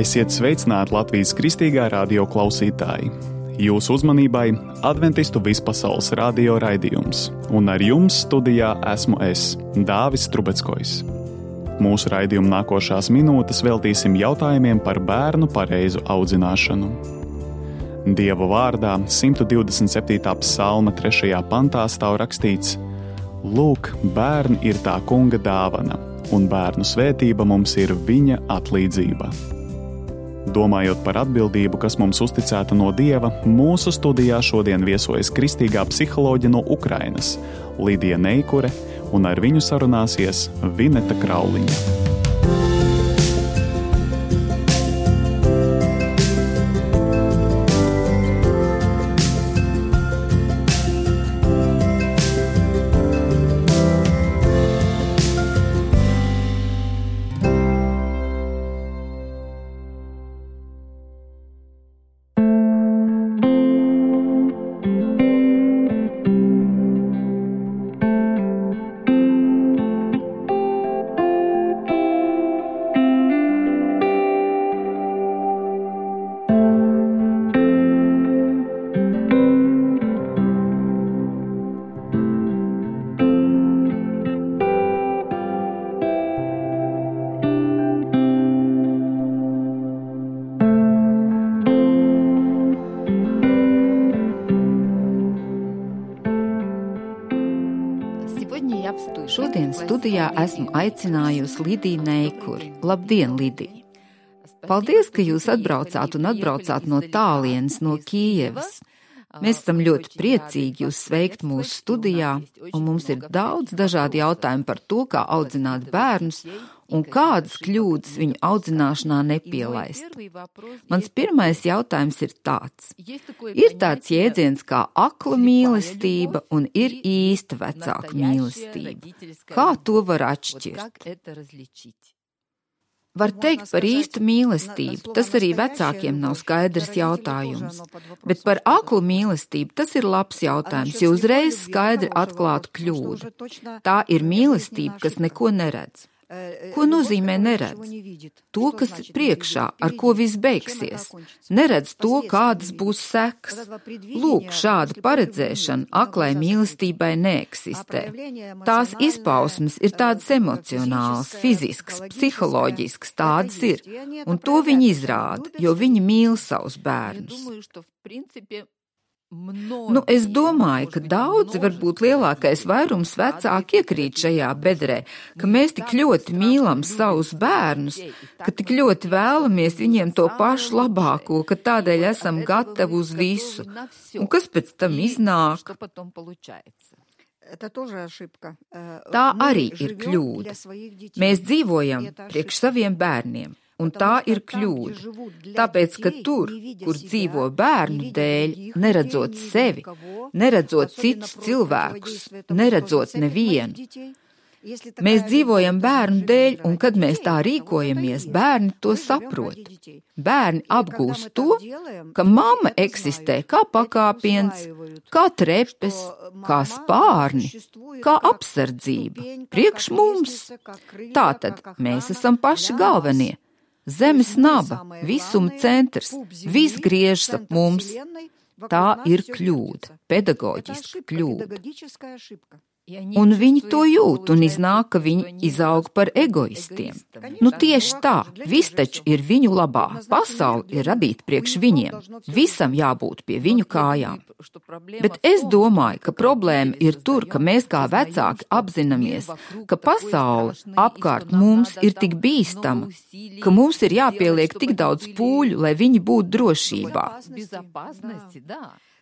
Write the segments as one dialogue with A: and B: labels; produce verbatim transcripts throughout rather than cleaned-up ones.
A: Esiet sveicināti Latvijas Kristīgā radio klausītāji. Jūsu uzmanībai Adventistu vispasaules radio raidījums, un ar jums studijā esmu es, Dāvis Trubeckojs. Mūsu raidījuma nākošās minūtes veltīsim jautājumiem par bērnu pareizu audzināšanu. Dieva vārdā simt divdesmit septītā psalma trešajā pantā stāv rakstīts: Lūk, bērni ir tā kunga dāvana, un bērnu svētība mums ir viņa atlīdzība. Domājot par atbildību, kas mums uzticēta no Dieva, mūsu studijā šodien viesojas kristīgā psiholoģe no Ukrainas, Lidija Neikure, un ar viņu sarunāsies Vineta Krauliņa.
B: Šodien studijā esmu aicinājusi Lidiju Neikuri. Labdien, Lidija! Paldies, ka jūs atbraucāt un atbraucāt no tālienes, no Kijevas. Mēs esam ļoti priecīgi jūs sveikt mūsu studijā, un mums ir daudz dažādi jautājumi par to, kā audzināt bērnus un kādas kļūdas viņu audzināšanā nepielaist. Mans pirmais jautājums ir tāds. Ir tāds jēdziens kā akla mīlestība un ir īsta vecāka mīlestība. Kā to var atšķirt? Var teikt par īstu mīlestību, tas arī vecākiem nav skaidrs jautājums. Bet par aklu mīlestību tas ir labs jautājums, jo uzreiz skaidri atklātu kļūdu. Tā ir mīlestība, kas neko neredz. Ko nozīmē neredz? To, kas ir priekšā, ar ko viss beigsies. Neredz to, kādas būs sekas. Lūk, šāda paredzēšana aklai mīlestībai neeksistē. Tās izpausmes ir tādas emocionālas, fiziskas, psiholoģiskas, tādas ir. Un to viņi izrāda, jo viņi mīl savus bērnus. Nu, es domāju, ka daudzi, varbūt lielākais vairums vecāki iekrīt šajā bedrē, ka mēs tik ļoti mīlam savus bērnus, ka tik ļoti vēlamies viņiem to pašu labāko, ka tādēļ esam gatavi uz visu. Un kas pēc tam iznāk? Tā arī ir kļūda. Mēs dzīvojam priekš saviem bērniem. Un tā ir kļūda, tāpēc, ka tur, kur dzīvo bērnu dēļ, neredzot sevi, neredzot citus cilvēkus, neredzot nevienu. Mēs dzīvojam bērnu dēļ, un kad mēs tā rīkojamies, bērni to saprot. Bērni apgūst to, ka mamma eksistē kā pakāpiens, kā trepes, kā spārni, kā apsardzība, priekš mums. Tātad mēs esam paši galvenie. Zemes naba, visuma centrs, viss griežas ap mums. Tā ir kļūda, pedagoģiska kļūda. Un viņi to jūt un iznāk, ka viņi izaug par egoistiem. Nu tieši tā, viss taču ir viņu labā, pasaule ir radīta priekš viņiem, visam jābūt pie viņu kājām. Bet es domāju, ka problēma ir tur, ka mēs kā vecāki apzināmies, ka pasaule apkārt mums ir tik bīstama, ka mums ir jāpieliek tik daudz pūļu, lai viņi būtu drošībā.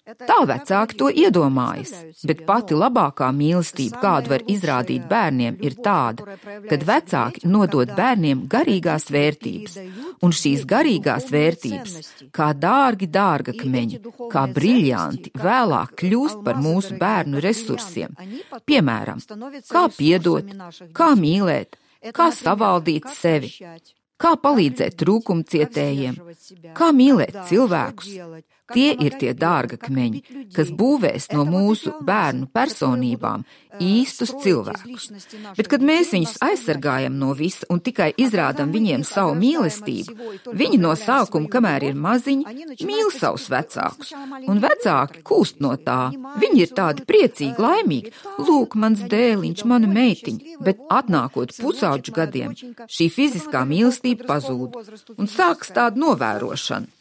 B: Tā vecāki to iedomājas, bet pati labākā mīlestība, kādu var izrādīt bērniem, ir tāda, kad vecāki nodod bērniem garīgās vērtības, un šīs garīgās vērtības, kā dārgi dārgakmeņi, kā briļjanti, vēlāk kļūst par mūsu bērnu resursiem. Piemēram, kā piedot, kā mīlēt, kā savaldīt sevi. Kā palīdzēt trūkumcietējiem, kā mīlēt cilvēkus, Tie ir tie dārgakmeņi, kas būvēs no mūsu bērnu personībām īstus cilvēkus. Bet, kad mēs viņus aizsargājam no visa un tikai izrādam viņiem savu mīlestību, viņi no sākuma, kamēr ir maziņi, mīl savus vecākus. Un vecāki kūst no tā. Viņi ir tādi priecīgi, laimīgi. Lūk, mans dēliņš, mana meitiņa. Bet atnākot pusauģu gadiem, šī fiziskā mīlestība pazūd. Un sākas tāda novērošana.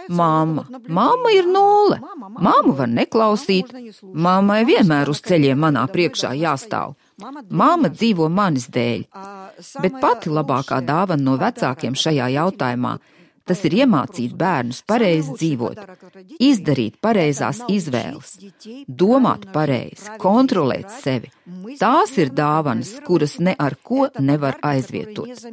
B: Mamma. Mamma ir nulle. Mammu var neklausīt. Mammai vienmēr uz ceļiem manā priekšā jāstāv. Mamma dzīvo manis dēļ. Bet pati labākā dāvana no vecākiem šajā jautājumā – tas ir iemācīt bērnus pareizi dzīvot, izdarīt pareizās izvēles, domāt pareizi, kontrolēt sevi. Tās ir dāvanas, kuras ne ar ko nevar aizvietot.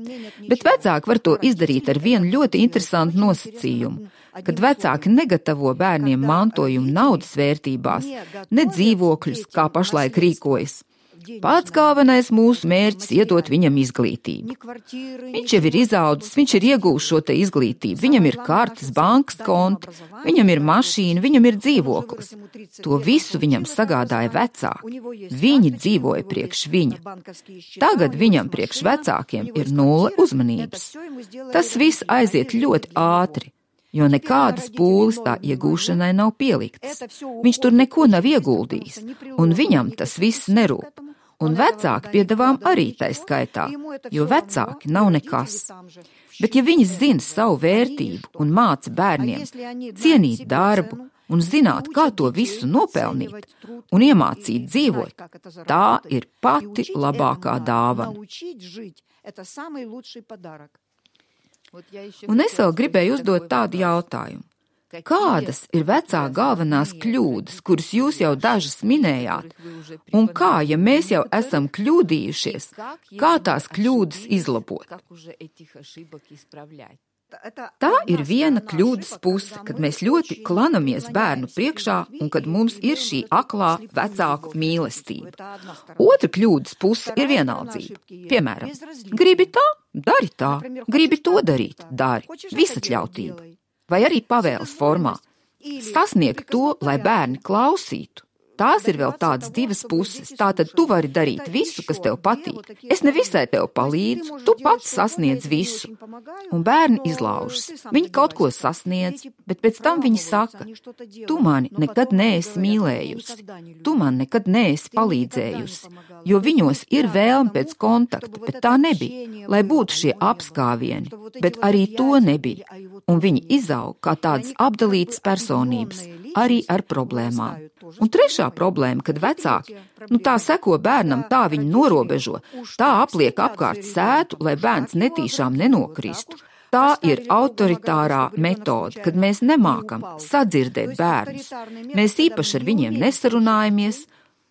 B: Bet vecāki var to izdarīt ar vienu ļoti interesantu nosacījumu. Kad vecāki negatavo bērniem mantojumu naudas vērtībās, ne dzīvokļus, kā pašlaik rīkojas. Pats galvenais mūsu mērķis iedot viņam izglītību. Viņš jau ir izaudzis, viņš ir iegūst šo te izglītību, viņam ir kartes, bankas konti, viņam ir mašīna, viņam ir dzīvoklis. To visu viņam sagādāja vecāki. Viņi dzīvoja priekš viņa. Tagad viņam priekš vecākiem ir nulle uzmanības. Tas viss aiziet ļoti ātri, jo nekādas pūles tā iegūšanai nav pieliktas. Viņš tur neko nav ieguldījis, un viņam tas viss nerūp. Un vecāki piedāvām arī tai skaitā, jo vecāki nav nekas. Bet ja viņi zina savu vērtību un māca bērniem cienīt darbu un zināt, kā to visu nopelnīt un iemācīt dzīvot, tā ir pati labākā dāvana. Un es vēl gribēju uzdot tādu jautājumu. Kādas ir vecā galvenās kļūdas, kuras jūs jau dažas minējāt? Un kā, ja mēs jau esam kļūdījušies, kā tās kļūdas izlabot? Tā ir viena kļūdas puse, kad mēs ļoti klanamies bērnu priekšā un kad mums ir šī aklā vecāku mīlestība. Otra kļūdas puse ir vienaldzība. Piemēram, gribi tā, dari tā, gribi to darīt, dari, visatļautība. Vai arī pavēles formā. Sasniegt to, lai bērni klausītu. Tās ir vēl tādas divas puses. Tātad tu vari darīt visu, kas tev patīk. Es nevisai tev palīdzu, tu pats sasniedz visu. Un bērni izlaužas. Viņi kaut ko sasniedz, bet pēc tam viņi saka, tu mani nekad neesi mīlējusi, tu man nekad neesi palīdzējusi, jo viņos ir vēlme pēc kontakta, bet tā nebija, lai būtu šie apskāvieni, bet arī to nebija. Un viņi izaug kā tādas apdalītas personības, arī ar problēmām. Un trešā problēma, kad vecāki, nu tā seko bērnam, tā viņu norobežo, tā apliek apkārt sētu, lai bērns netīšām nenokristu. Tā ir autoritārā metode, kad mēs nemākam sadzirdēt bērnus. Mēs īpaši ar viņiem nesarunājamies,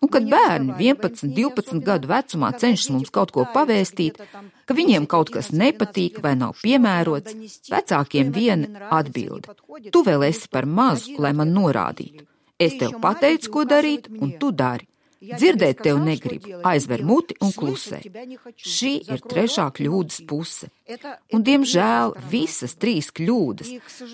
B: un kad bērni vienpadsmit, divpadsmit gadu vecumā cenšas mums kaut ko pavēstīt, ka viņiem kaut kas nepatīk vai nav piemērots, vecākiem viena atbilde. Tu vēl esi par mazu, lai man norādītu. Es tev pateicu, ko darīt, un tu dari. Dzirdēt tev negribu, aizver muti un klusē. Šī ir trešā kļūdas puse. Un, diemžēl, visas trīs kļūdas,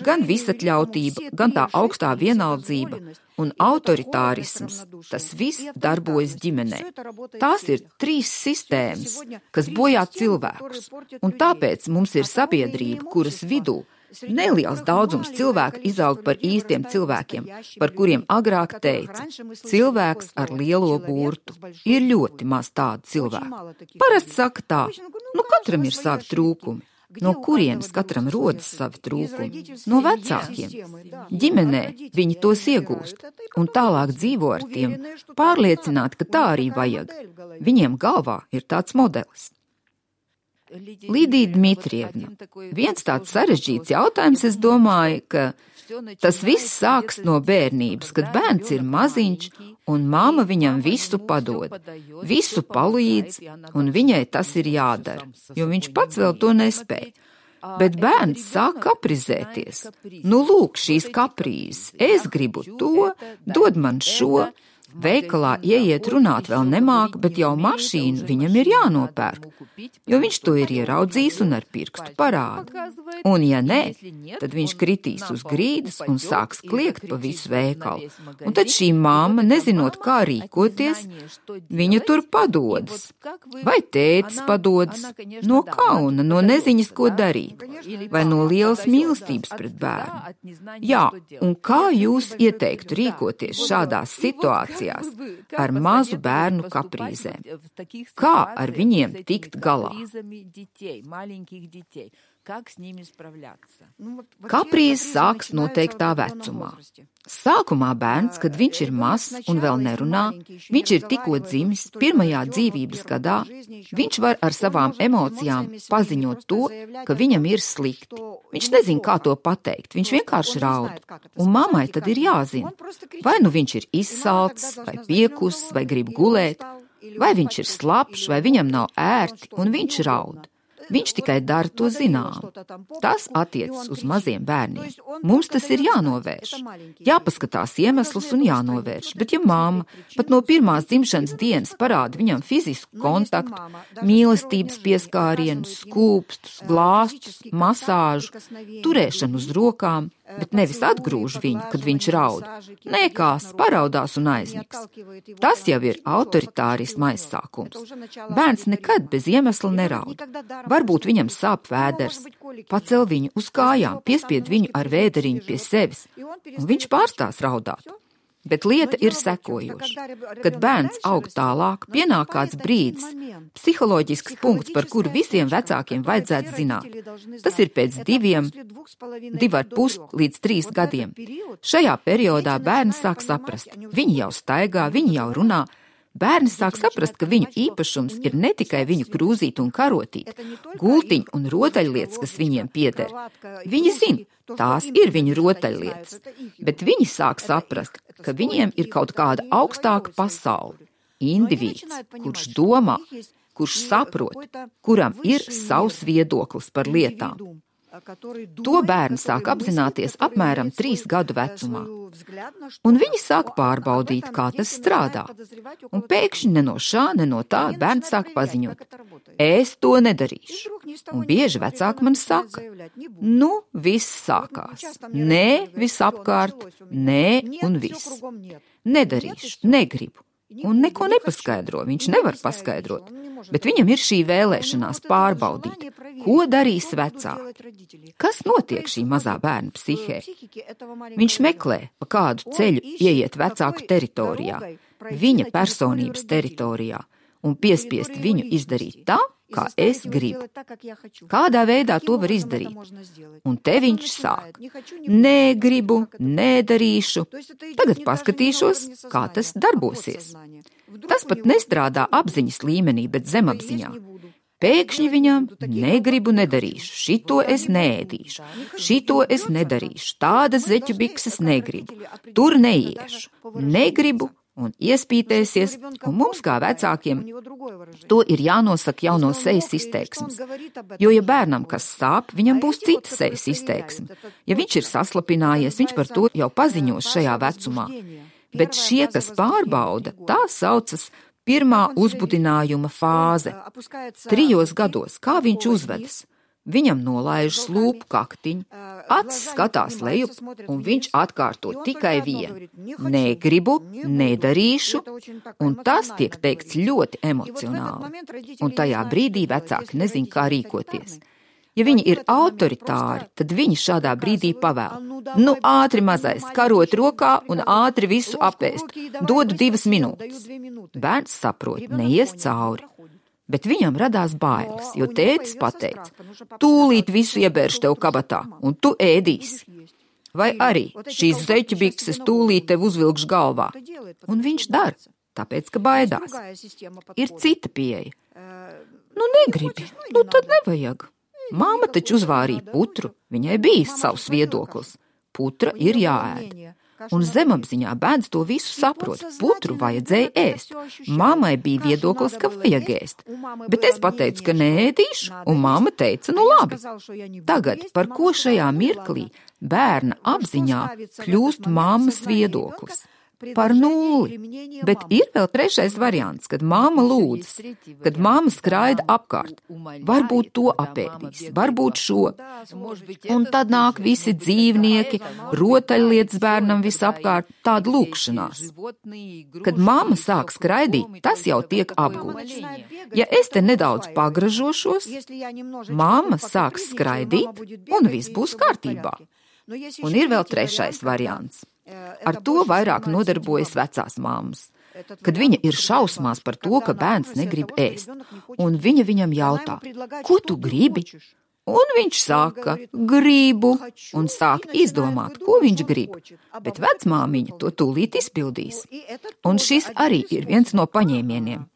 B: gan visatļautība, gan tā augstā vienaldzība un autoritārisms, tas viss darbojas ģimenē. Tās ir trīs sistēmas, kas bojā cilvēkus, un tāpēc mums ir sabiedrība, kuras vidū neliels daudzums cilvēku izaug par īstiem cilvēkiem, par kuriem agrāk teica, cilvēks ar lielo burtu. Ir ļoti maz tādu cilvēku. Parasti saka tā, nu katram ir savi trūkumi. No kurienes katram rodas savi trūkumi? No vecākiem. Ģimenē viņi tos iegūst un tālāk dzīvo ar tiem, pārliecināti, ka tā arī vajag. Viņiem galvā ir tāds modelis. Lidija Dmitrievna. Viens tāds sarežģīts jautājums, es domāju, ka tas viss sāks no bērnības, kad bērns ir maziņš un mamma viņam visu padod, visu palīdz un viņai tas ir jādara, jo viņš pats vēl to nespēj. Bet bērns sāk kaprizēties. Nu lūk, šīs kaprīzes, es gribu to, dod man šo, Veikalā ieiet runāt vēl nemāk, bet jau mašīnu viņam ir jānopērk, jo viņš to ir ieraudzījis un ar pirkstu parāda. Un ja nē, tad viņš kritīs uz grīdas un sāks kliegt pa visu veikalu. Un tad šī mamma, nezinot, kā rīkoties, viņa tur padodas. Vai tētis padodas? No kauna, no neziņas, ko darīt. Vai no lielas mīlestības pret bērnu. Jā, un kā jūs ieteiktu rīkoties šādās situācijās ar mazu bērnu kaprīzēm? Kā ar viņiem tikt galā? Kaprīze sāks noteiktā vecumā. Sākumā bērns, kad viņš ir mazs un vēl nerunā, viņš ir tikko dzimis, pirmajā dzīvības gadā, viņš var ar savām emocijām paziņot to, ka viņam ir slikti. Viņš nezin, kā to pateikt, viņš vienkārši raud. Un mammai tad ir jāzina, vai nu viņš ir izsalcis, vai piekuss, vai grib gulēt, vai viņš ir slapš, vai viņam nav ērti, un viņš raud. Viņš tikai dara to zinām. Tas attiecas uz maziem bērniem. Mums tas ir jānovērš. Jāpaskatās iemeslus un jānovērš. Bet ja mamma pat no pirmās dzimšanas dienas parāda viņam fizisku kontaktu, mīlestības pieskārienus, skūpstus, glāstus, masāžu, turēšanu uz rokām, bet nevis atgrūž viņu, kad viņš raud, nekās, paraudās un aizmigs. Tas jau ir autoritārisma aizsākums. Bērns nekad bez iemesla neraud. Varbūt viņam sāp vēders, pacel viņu uz kājām, piespied viņu ar vēderiņu pie sevis, un viņš pārstās raudāt. Bet lieta ir sekojoša. Kad bērns aug tālāk, pienāk kāds brīdis, psiholoģisks punkts, par kuru visiem vecākiem vajadzētu zināt. Tas ir pēc diviem, divi ar pus līdz trīs gadiem. Šajā periodā bērns sāk saprast. Viņi jau staigā, viņi jau runā. Bērni sāk saprast, ka viņu īpašums ir ne tikai viņu krūzīt un karotīt, gultiņi un rotaļlietas, kas viņiem pieder. Viņi zina, tās ir viņu rotaļlietas, bet viņi sāk saprast, ka viņiem ir kaut kāda augstāka pasaule, indivīds, kurš domā, kurš saprot, kuram ir savs viedoklis par lietām. To bērni sāk apzināties apmēram trīs gadu vecumā. Un viņi sāk pārbaudīt, kā tas strādā. Un pēkšņi ne no šā, ne no tā bērns sāk paziņot. Es to nedarīšu. Un bieži vecāki man saka, nu, viss sākās. Nē, viss apkārt, nē un viss. Nedarīšu, negribu. Un neko nepaskaidro, viņš nevar paskaidrot. Bet viņam ir šī vēlēšanās pārbaudīt, ko darīs vecāki. Kas notiek šī mazā bērna psihē? Viņš meklē, pa kādu ceļu ieiet vecāku teritorijā, viņa personības teritorijā, un piespiest viņu izdarīt tā, kā es gribu. Kādā veidā to var izdarīt? Un te viņš sāk. Negribu, nedarīšu. Tagad paskatīšos, kā tas darbosies. Tas pat nestrādā apziņas līmenī, bet zemapziņā. Pēkšņi viņam negribu, nedarīšu, šito es neēdīšu, šito es nedarīšu, tādas zeķu bikses negribu, tur neiešu, negribu, un iespītēsies, un mums kā vecākiem to ir jānosaka jau no sejas izteiksmes. Jo, ja bērnam kas sāp, viņam būs cita sejas izteiksme. Ja viņš ir saslapinājies, viņš par to jau paziņos šajā vecumā. Bet šie, kas pārbauda, tā saucas pirmā uzbudinājuma fāze. Trijos gados, kā viņš uzvedas? Viņam nolaižas lūpu kaktiņu, acis skatās lejup, un viņš atkārto tikai vienu. Negribu, nedarīšu, un tas tiek teikts ļoti emocionāli. Un tajā brīdī vecāki nezin, kā rīkoties. Ja viņi ir autoritāri, tad viņi šādā brīdī pavēl. Nu, ātri mazais, karot rokā un ātri visu apēst. Dodu divas minūtes. Bērns saprot, neies cauri. Bet viņam radās bailes, jo tētis pateica, tūlīt visu iebērš tev kabatā, un tu ēdīsi. Vai arī šīs zeķu bikses tūlīt tev uzvilkš galvā. Un viņš dara, tāpēc, ka baidās. Ir cita pieeja. Nu, negribi, nu tad nevajag. Māma taču uzvārīja putru, viņai bija savs viedoklis. Putra ir jāēd. Un zemapziņā bērns to visu saprot. Putru vajadzēja ēst. Mammai bija viedoklis, ka vajag ēst. Bet es pateicu, ka neēdīšu, un mamma teica, nu labi. Tagad, par ko šajā mirklī bērna apziņā kļūst mammas viedoklis? par nulli. Bet ir vēl trešais variants, kad māma lūdzas, kad māma skraida apkārt. Varbūt to apēdīs, varbūt šo. Un tad nāk visi dzīvnieki, rotaļlietas bērnam visapkārt, tāda lūkšanās. Kad māma sāk skraidīt, tas jau tiek apgūts. Ja es te nedaudz pagražošos, māma sāks skraidīt, un viss būs kārtībā. Un ir vēl trešais variants. Ar to vairāk nodarbojas vecās māmas. Kad viņa ir šausmās par to, ka bērns negrib ēst, un viņa viņam jautā, ko tu gribi? Un viņš saka, gribu, un sāk izdomāt, ko viņš grib, bet vecmāmiņa to tūlīt izpildīs. Un šis arī ir viens no paņēmieniem.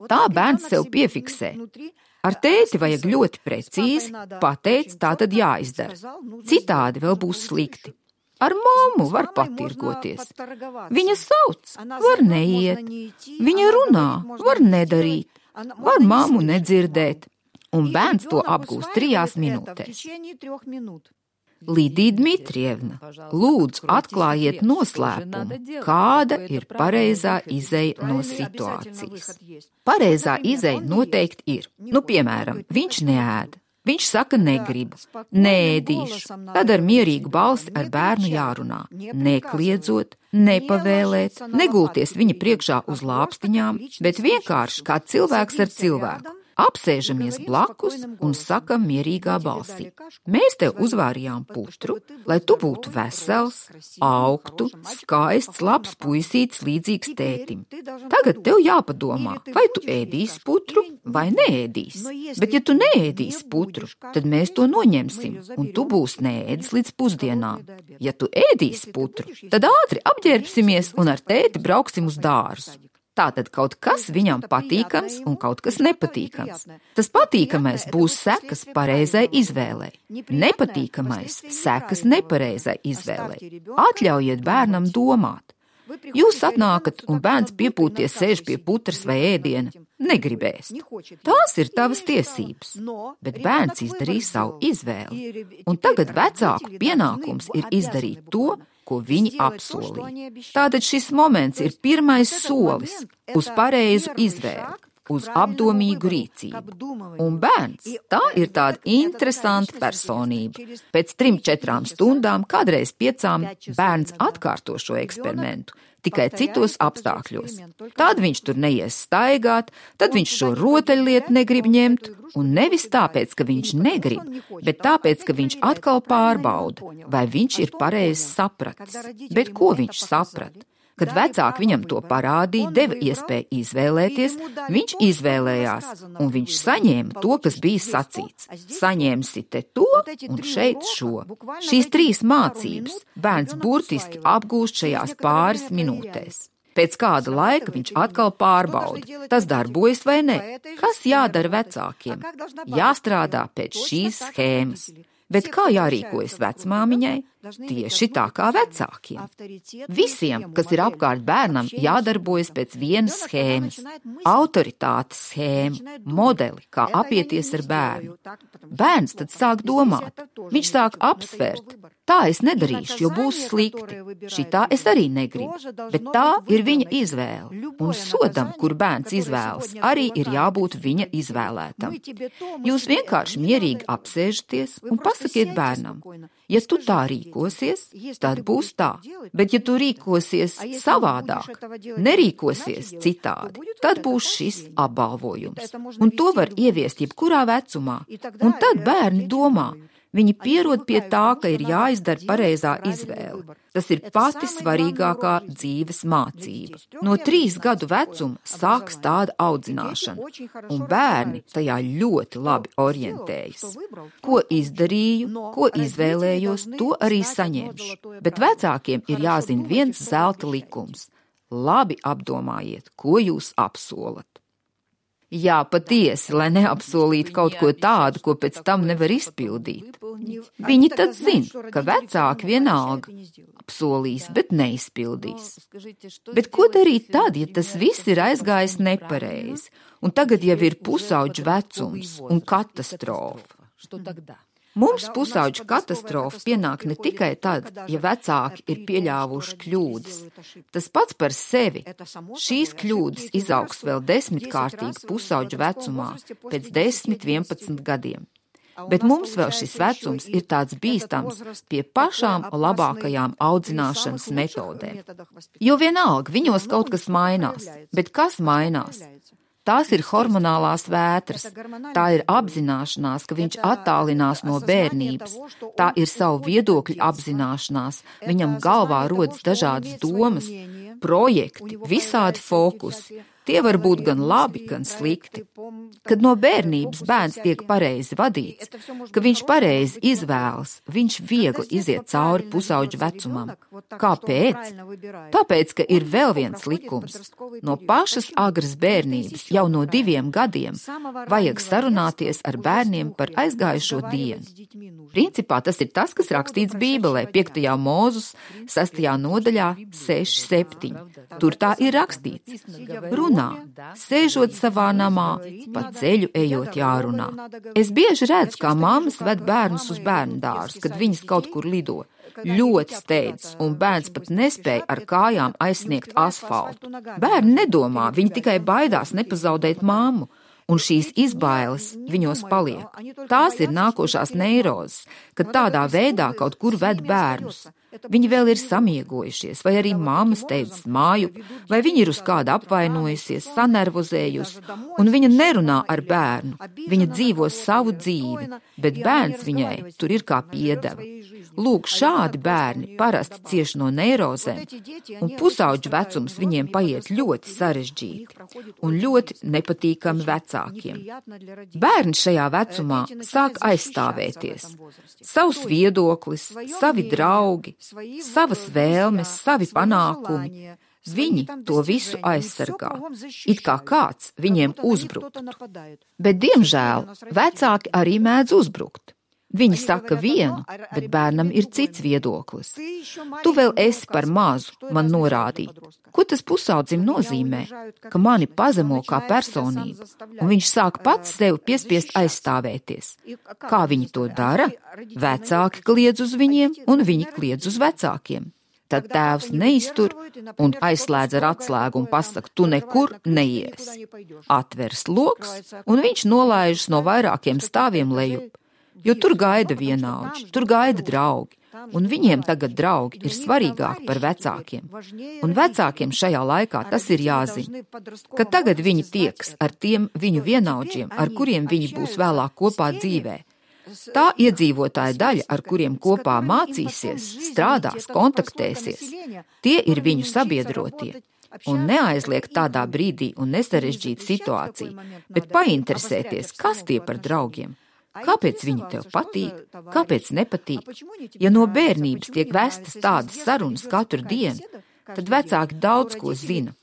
B: Tā bērns sev piefiksē. Ar tēti vajag ļoti precīzi, pateic, tā tad jāizdara. Citādi vēl būs slikti. Ar mammu var patirgoties. Viņa sauc, var neiet. Viņa runā, var nedarīt. Var mammu nedzirdēt. Un bērns to apgūst trijās minūtēs. Lidija Dmitrievna, lūdzu atklājiet noslēpumu, kāda ir pareizā izeja no situācijas. Pareizā izeja noteikti ir. Nu, piemēram, viņš neēda. Viņš saka negribu, neēdīšu. Tad ar mierīgu balsi ar bērnu jārunā. Nekliedzot, nepavēlēt, negulties viņa priekšā uz lāpstiņām, bet vienkārši kā cilvēks ar cilvēku. Apsēžamies blakus un sakam mierīgā balsī. Mēs tev uzvārījām putru, lai tu būtu vesels, augtu, skaists, labs puisītis līdzīgs tētim. Tagad tev jāpadomā, vai tu ēdīsi putru vai neēdīsi. Bet ja tu neēdīsi putru, tad mēs to noņemsim, un tu būsi neēdis līdz pusdienām. Ja tu ēdīsi putru, tad ātri apģērbsimies un ar tēti brauksim uz dārzu. Tātad kaut kas viņam patīkams un kaut kas nepatīkams. Tas patīkamais būs sekas pareizai izvēlei. Nepatīkamais sekas nepareizai izvēlei. Atļaujiet bērnam domāt. Jūs atnākat un bērns piepūties sēž pie putras vai ēdiena. Negribēs. Tās ir tavas tiesības. Bet bērns izdarīja savu izvēli. Un tagad vecāku pienākums ir izdarīt to, ko viņi apsolīja. Tātad šis moments ir pirmais solis uz pareizu izvēli, uz apdomīgu rīcību. Un bērns, tā ir tāda interesanta personība. Pēc trim, četrām stundām, kādreiz piecām, bērns atkārto šo eksperimentu, tikai citos apstākļos. Tad viņš tur neies staigāt, tad viņš šo rotaļlietu negrib ņemt, un nevis tāpēc, ka viņš negrib, bet tāpēc, ka viņš atkal pārbauda, vai viņš ir pareizi sapratis. Bet ko viņš saprata? Kad vecāki viņam to parādīja, deva iespēju izvēlēties, viņš izvēlējās, un viņš saņēma to, kas bija sacīts. Saņemsi te to un šeit šo. Šīs trīs mācības bērns burtiski apgūst šajās pāris minūtēs. Pēc kāda laika viņš atkal pārbauda, tas darbojas vai ne. Kas jādara vecākiem? Jāstrādā pēc šīs schēmas. Bet kā jārīkojas vecmāmiņai? Tieši tā kā vecākiem. Visiem, kas ir apkārt bērnam, jādarbojas pēc vienas schēmas. Autoritātes schēma, modeli, kā apieties ar bērnu. Bērns tad sāk domāt. Viņš sāk apsvērt. Tā es nedarīšu, jo būs slikti. Šitā es arī negribu. Bet tā ir viņa izvēle. Un sodam, kur bērns izvēlas, arī ir jābūt viņa izvēlētam. Jūs vienkārši mierīgi apsēžaties un pasakiet bērnam. Ja tu tā rīkosies, tad būs tā. Bet ja tu rīkosies savādāk, nerīkosies citādi, tad būs šis apbalvojums. Un to var ieviest jebkurā vecumā. Un tad bērni domā. Viņi pierod pie tā, ka ir jāizdara pareizā izvēle. Tas ir pati svarīgākā dzīves mācība. No trīs gadu vecuma sāks tāda audzināšana, un bērni tajā ļoti labi orientējas. Ko izdarīju, ko izvēlējos, to arī saņemšu. Bet vecākiem ir jāzina viens zelta likums. Labi apdomājiet, ko jūs apsolat. Jā, patiesi, lai neapsolītu kaut ko tādu, ko pēc tam nevar izpildīt. Viņi tad zina, ka vecāki vienalga apsolīs, bet neizpildīs. Bet ko darīt tad, ja tas viss ir aizgājis nepareizi, un tagad jau ir pusauģu vecums un katastrofa? Mums pusauģu katastrofa pienāk ne tikai tad, ja vecāki ir pieļāvuši kļūdas. Tas pats par sevi. Šīs kļūdas izaugs vēl desmitkārtīgi pusauģu vecumā, pēc desmit, vienpadsmit gadiem. Bet mums vēl šis vecums ir tāds bīstams pie pašām labākajām audzināšanas metodēm. Jo vienalga, viņos kaut kas mainās. Bet kas mainās? Tās ir hormonālās vētras, tā ir apzināšanās, ka viņš attālinās no bērnības, tā ir savu viedokļu apzināšanās, viņam galvā rodas dažādas domas, projekti, visādi fokusi. Tie var būt gan labi, gan slikti. Kad no bērnības bērns tiek pareizi vadīts, ka viņš pareizi izvēlas, viņš viegli iziet cauri pusauģu vecumam. Kāpēc? Tāpēc, ka ir vēl viens likums. No pašas agras bērnības, jau no diviem gadiem, vajag sarunāties ar bērniem par aizgājušo dienu. Principā tas ir tas, kas rakstīts Bībelē, piektajā Mūzus, sastajā nodaļā, seši septiņi. Tur tā ir rakstīts. Runā, sēžot savā namā, pa ceļu ejot jārunā. Es bieži redzu, kā mammas ved bērnus uz bērnu dārzu, kad viņas kaut kur lido. Ļoti steidz, un bērns pat nespēja ar kājām aizsniegt asfaltu. Bērni nedomā, viņi tikai baidās nepazaudēt mammu. Un šīs izbailes viņos paliek. Tās ir nākošās neirozes, kad tādā veidā kaut kur ved bērnus. Viņi vēl ir samiegojušies, vai arī mamma steidzas māju, vai viņa ir uz kāda apvainojusies, sanervozējusi, un viņa nerunā ar bērnu. Viņa dzīvo savu dzīvi, bet bērns viņai tur ir kā piedeva. Lūk, šādi bērni parasti cieš no neirozēm, un pusauģu vecums viņiem paiet ļoti sarežģīti un ļoti nepatīkami vecākiem. Bērni šajā vecumā sāk aizstāvēties. Savs viedoklis, savi draugi, savas vēlmes, savi panākumi. Viņi to visu aizsargā, it kā kāds viņiem uzbruktu. Bet, diemžēl, vecāki arī mēdz uzbrukt. Viņi saka vienu, bet bērnam ir cits viedoklis. Tu vēl esi par mazu man norādīt. Ko tas pusaudzim nozīmē? Ka mani pazemo kā personību, un viņš sāk pats sevi piespiest aizstāvēties. Kā viņi to dara? Vecāki kliedz uz viņiem, un viņi kliedz uz vecākiem. Tad tēvs neiztur un aizslēdz ar atslēgu un pasaka, tu nekur neies. Atveras loks, un viņš nolaižas no vairākiem stāviem lejup. Jo tur gaida vienaudži, tur gaida draugi, un viņiem tagad draugi ir svarīgāki par vecākiem. Un vecākiem šajā laikā tas ir jāzina, ka tagad viņi tieks ar tiem viņu vienaudžiem, ar kuriem viņi būs vēlāk kopā dzīvē. Tā iedzīvotāja daļa, ar kuriem kopā mācīsies, strādās, kontaktēsies, tie ir viņu sabiedrotie. Un neaizliegt tādā brīdī un nesarežģīt situāciju, bet painteresēties, kas tie par draugiem. Kāpēc viņi tev patīk, kāpēc nepatīk? Ja no bērnības tiek vestas tādas sarunas katru dienu, tad vecāki daudz ko zina.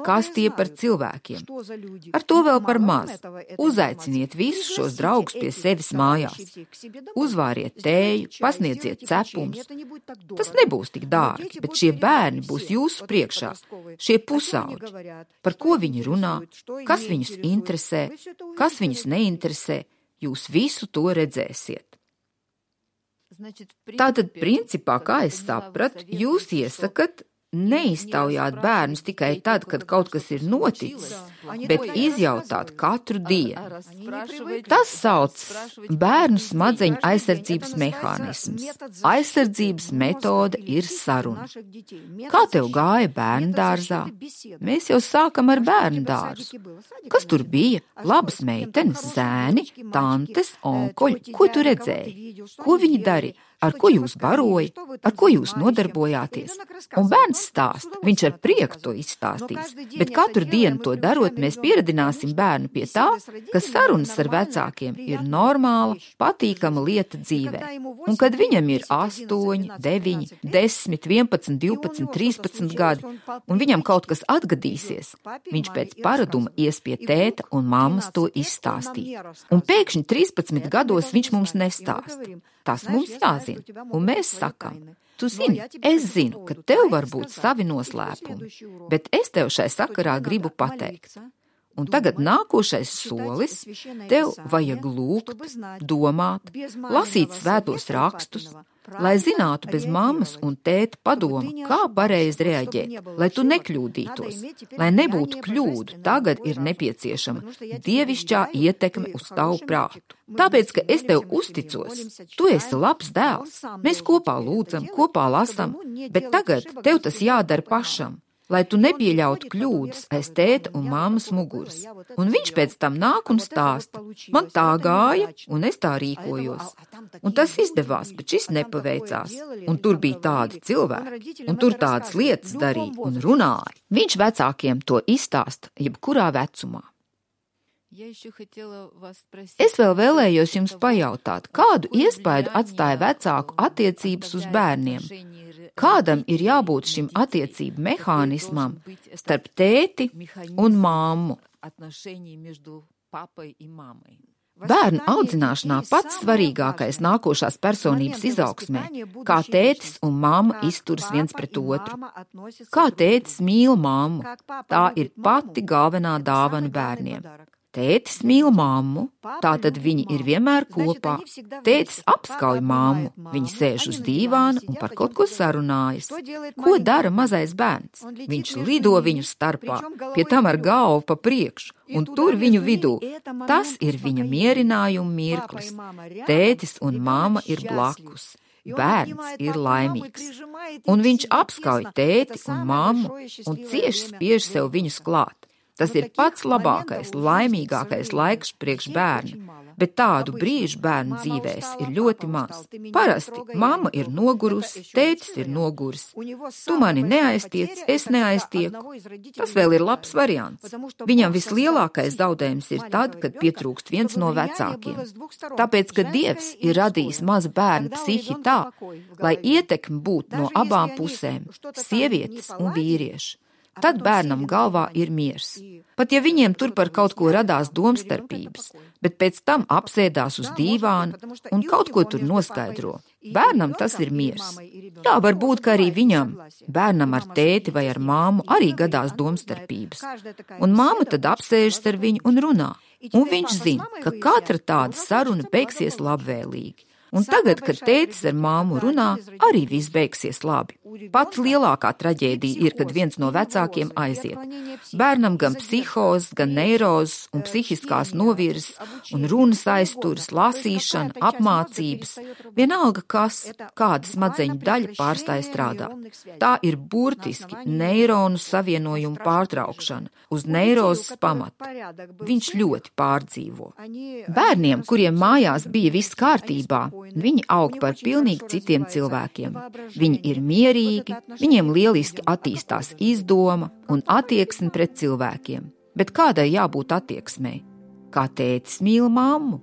B: Kas tie par cilvēkiem? Ar to vēl par maz. Uzaiciniet visus šos draugus pie sevis mājās. Uzvāriet tēju, pasniedziet cepumus. Tas nebūs tik dārgi, bet šie bērni būs jūsu priekšā, šie pusauģi. Par ko viņi runā, kas viņus interesē, kas viņus neinteresē. Jūs visu to redzēsiet. Tātad, principā, kā es sapratu, jūs iesakat neiztaujāt bērnus tikai tad, kad kaut kas ir noticis, bet izjautāt katru dienu. Tas sauc bērnu smadzeņu aizsardzības mehānisms. Aizsardzības metode ir saruna. Kā tev gāja bērnu dārzā? Mēs jau sākam ar bērnu dārzu. Kas tur bija? Labas meitenes, zēni, tantes, onkoļi. Ko tu redzēji? Ko viņi darīja? Ar ko jūs baroja, ar ko jūs nodarbojāties? Un bērns stāsta, viņš ar prieku to izstāstīs, bet katru dienu to darot, mēs pieradināsim bērnu pie tā, ka sarunas ar vecākiem ir normāla, patīkama lieta dzīvē. Un kad viņam ir astoņi, deviņi, desmit, vienpadsmit, divpadsmit, trīspadsmit gadi, un viņam kaut kas atgadīsies, viņš pēc paraduma ies pie tēta un mammas to izstāstīt. Un pēkšņi trīspadsmit gados viņš mums nestāsta. Tas mums jāzina, un mēs sakam, tu zini, es zinu, ka tev var būt savi noslēpumi, bet es tev šai sakarā gribu pateikt. Un tagad nākošais solis, tev vajag lūgt, domāt, lasīt svētos rakstus, lai zinātu bez mammas un tēta padoma, kā pareizi reaģēt, lai tu nekļūdītos, lai nebūtu kļūdu, tagad ir nepieciešama dievišķā ietekme uz tavu prātu. Tāpēc, ka es tev uzticos, tu esi labs dēls, mēs kopā lūdzam, kopā lasam, bet tagad tev tas jādara pašam, lai tu nepieļautu kļūdas aiz tēta un mammas muguras. Un viņš pēc tam nāk un stāsta, man tā gāja, un es tā rīkojos. Un tas izdevās, bet šis nepaveicās. Un tur bija tādi cilvēki, un tur tādas lietas darīja un runāja. Viņš vecākiem to izstāsta, jebkurā vecumā. Es vēl vēlējos jums pajautāt, kādu iespaidu atstāja vecāku attiecības uz bērniem? Kādam ir jābūt šim attiecību mehānismam starp tēti un mammu? Bērnu audzināšanā pats svarīgākais nākošās personības izaugsmē, kā tētis un mamma izturas viens pret otru. Kā tētis mīl mammu, tā ir pati galvenā dāvana bērniem. Tētis mīl mammu, tātad viņi ir vienmēr kopā. Tētis apskauj mammu, viņi sēž uz dīvāna un par kaut ko sarunājas. Ko dara mazais bērns? Viņš lido viņu starpā, pie tam ar galvu pa priekšu, un tur viņu vidū. Tas ir viņa mierinājuma mirklis. Tētis un mamma ir blakus. Bērns ir laimīgs. Un viņš apskauj tēti un mammu un cieši spiež sev viņus klāt. Tas ir pats labākais, laimīgākais laiks priekš bērnu, bet tādu brīžu bērnu dzīvēs ir ļoti maz. Parasti mamma ir nogurusi, tētis ir noguris. Tu mani neaiztiec, es neaiztieku. Tas vēl ir labs variants. Viņam vislielākais zaudējums ir tad, kad pietrūkst viens no vecākiem. Tāpēc, ka Dievs ir radījis mazu bērnu psihi tā, lai ietekme būtu no abām pusēm, sievietes un vīrieši. Tad bērnam galvā ir miers. Pat ja viņiem tur par kaut ko radās domstarpības, bet pēc tam apsēdās uz dīvāna un kaut ko tur noskaidro. Bērnam tas ir miers. Jā, varbūt, ka arī viņam, bērnam ar tēti vai ar māmu, arī gadās domstarpības. Un māma tad apsēžas ar viņu un runā. Un viņš zina, ka katra tāda saruna beigsies labvēlīgi. Un tagad, kad tētis ar māmu runā, arī viss beigsies labi. Pat lielākā traģēdija ir, kad viens no vecākiem aiziet. Bērnam gan psihozes, gan neirozes un psihiskās novirzes un runas aizturas, lasīšana, apmācības. Vienalga kas, kāda smadzeņu daļa pārstāja strādāt. Tā ir burtiski neironu savienojumu pārtraukšana uz neirozes pamata. Viņš ļoti pārdzīvo. Bērniem, kuriem mājās bija viss kārtībā, viņi aug par pilnīgi citiem cilvēkiem. Viņi ir mierīgi, viņiem lieliski attīstās izdoma un attieksme pret cilvēkiem. Bet kādai jābūt attieksmei? Kā tētis mīl mammu?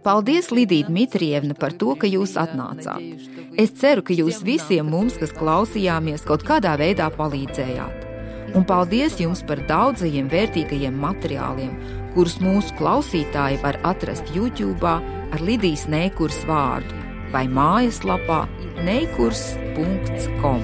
B: Paldies, Lidija Dmitrievna, par to, ka jūs atnācāt. Es ceru, ka jūs visiem mums, kas klausījāmies, kaut kādā veidā palīdzējāt. Un paldies jums par daudzajiem vērtīgajiem materiāliem, kurus mūsu klausītāji var atrast YouTube'ā ar Lidijas Neikurs vārdu vai mājaslapā neikurs punkts com.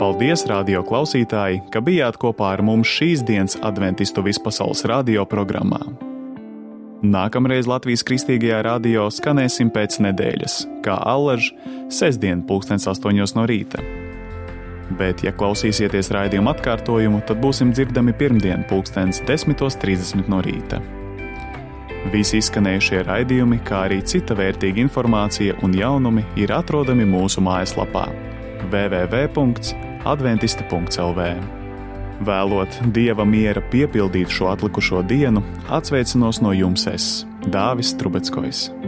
A: Paldies, radio klausītāji, ka bijāt kopā ar mums šīs dienas Adventistu vispasaules radio programmā. Nākamreiz Latvijas Kristīgajā radio skanēsim pēc nedēļas, kā allaž, sestdien pulkstens astoņos no rīta. Bet, ja klausīsieties raidījumu atkārtojumu, tad būsim dzirdami pirmdien pulkstens desmitos trīsdesmit no rīta. Visi izskanējušie raidījumi, kā arī cita vērtīga informācija un jaunumi ir atrodami mūsu mājaslapā w w w punkts adventista punkts l v. Vēlot Dieva miera piepildīt šo atlikušo dienu, atsveicinos no jums es, Dāvis Trubeckojs.